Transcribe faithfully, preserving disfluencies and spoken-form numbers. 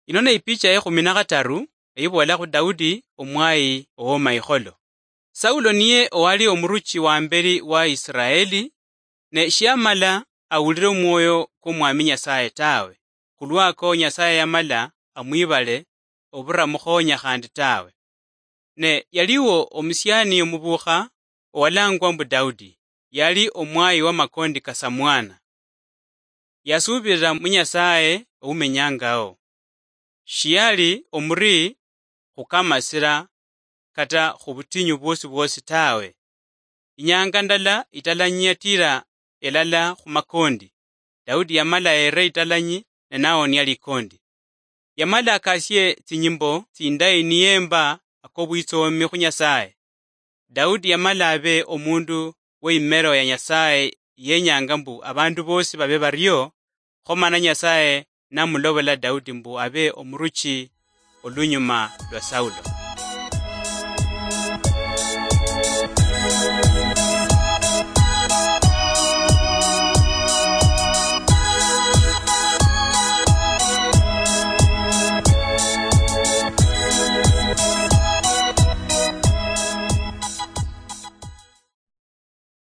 Ino ne ipicha yekhumi na khataru, eyiboolakhu Daudi omwayi owomayikholo. Saulo niye owali omuruchi wambeli wa Isiraeli, ne shiamala awulile omwoyo kwomwami Nyasaye tawe, khulwako Nyasaye yamala amwibale oburamukhonya khandi tawe. Ne yaliwo omusiani omubukha owalangwa mbu Daudi, yali omwayi wamakondi ka samwana. Yasuubirira mu Nyasaye owumenyangao. Shiyali omuri khukamasira kata khubutinyu bwosi bwosi tawe. Inyanga ndala italanyi yatira elala khumakondi, Daudi yamala yere italanyi ne nawonia likondi. Yamala akasie tsinyimbo tsindayi niyemba akobwitsomi khu Nyasaye. Daudi yamala abe omundu weimero ya Nyasaye yenyanga mbu abandu bosi babe bario, kho mana Nyasaye namulobola Daudi mbu abe omuruchi olunyuma lwa Saulo.